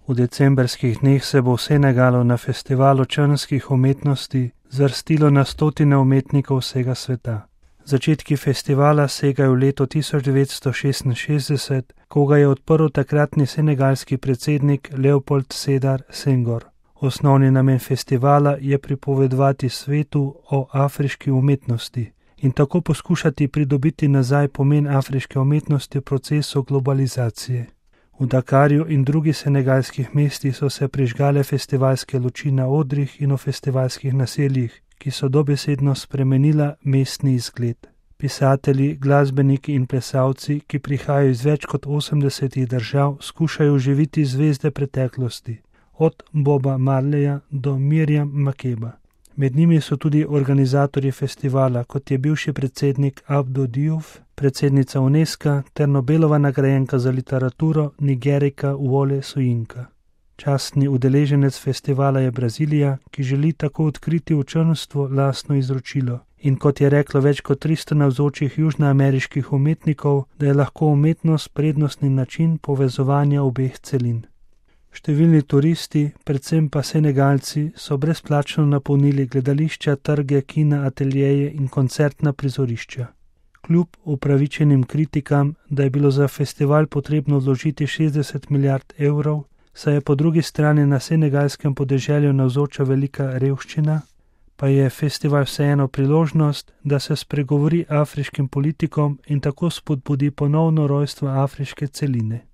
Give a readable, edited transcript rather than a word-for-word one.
V decembrskih dneh se bo v Senegalu na festivalu črnskih umetnosti zvrstilo na stotine umetnikov vsega sveta. Začetki festivala segajo v leto 1966, ko ga je odprl takratni senegalski predsednik Leopold Sedar Senghor. Osnovni namen festivala je pripovedovati svetu o afriški umetnosti in tako poskušati pridobiti nazaj pomen afriške umetnosti v procesu globalizacije. V Dakarju in drugih senegalskih mestih so se prižgale festivalske luči na odrih in v festivalskih naseljih, ki so dobesedno spremenila mestni izgled. Pisatelji, glasbeniki in plesalci, ki prihajajo iz več kot 80 držav, skušajo oživiti zvezde preteklosti, od Boba Marleya do Miriam Makeba. Med njimi so tudi organizatorji festivala, kot je bivši predsednik Abdou Diouf, predsednica UNESCO ter Nobelova nagrajenka za literaturo Nigerika Wole Soyinka. Častni udeleženec festivala je Brazilija, ki želi tako odkriti v črnstvu lastno izročilo. In kot je reklo več kot 300 navzočih južnoameriških umetnikov, da je lahko umetnost prednostni način povezovanja obeh celin. Številni turisti, predvsem pa Senegalci, so brezplačno napolnili gledališča, trge, kina, ateljeje in koncertna prizorišča. Kljub upravičenim kritikam, da je bilo za festival potrebno vložiti 60 milijard evrov, saj je po drugi strani na senegalskem podeželju navzoča velika revščina, pa je festival vseeno priložnost, da se spregovori afriškim politikom in tako spodbudi ponovno rojstvo afriške celine.